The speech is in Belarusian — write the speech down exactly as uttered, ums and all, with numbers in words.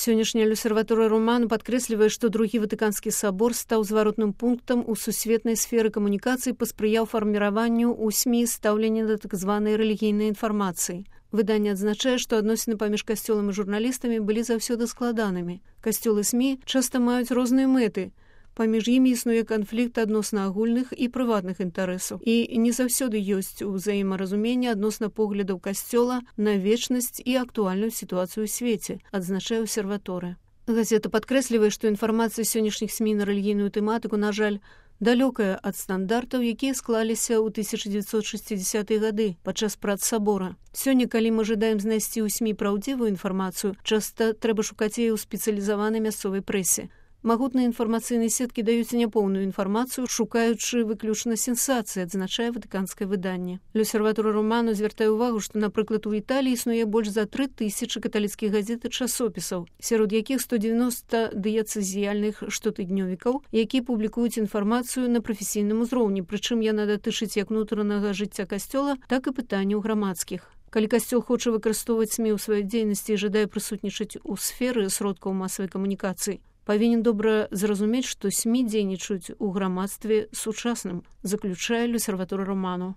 Сённяшняя Люсерваторыя Роману падкрэслівае, што другі Ватыканскі сабор стаў зваротным пунктам у сусветнай сферы камунікацыі, паспрыяў фарміраванню ў СМІ стаўлення да так званай рэлігійнай інфармацыі. Выданне адзначае, што адносіны паміж касцёлам і журналістамі былі заўсёды складанымі. Касцёл і СМІ часта маюць розныя мэты. Паміж імі існуе канфлікт адносна агульных і прыватных інтарэсаў. І не заўсёды ёсць узаемаразуменне адносна поглядаў касцёла на вечнасць і актуальную сітуацыю ў свеце, адзначае абсерваторыя. Газета падкрэслівае, што інфармацыя сённяшніх СМІ на рэлігійную тэматыку, на жаль, далёкая ад стандартаў, якія склаліся ў тысяча дзевяцьсот шэсцідзесятыя гады падчас прац сабора. Сёння, калі мы жадаем знайсці ў СМІ праўдзівую інфармацыю, часта трэба шукаць яе ў спецыялізаванай мясцовай прэсе. Магутныя інфармацыйныя сеткі даюць няпоўную інфармацыю, шукаючы выключна сенсацыі, адзначае ватыканскае выданне. Люсерваторыя Роману звяртае ўвагу, што, напрыклад, у Італіі існуе больш за тры тысячы каталіцкіх газет і часопісаў, сярод якіх сто дзевяноста дыяцэзіяльных штотыднёвікаў, якія публікуюць інфармацыю на прафесійным узроўні, прычым яна датычыць як унутранага жыцця касцёла, так і пытанняў грамадскіх. Калі касцёл хоча выкарыстоўваць СМІ ў сваёй дзейнасці і жадае прысутнічаць у сферы сродкаў масавай камунікацыі, павінен добра зразумець, што СМІ дзейнічаюць у грамадстве сучасным, заключае Люсерваторыя Роману.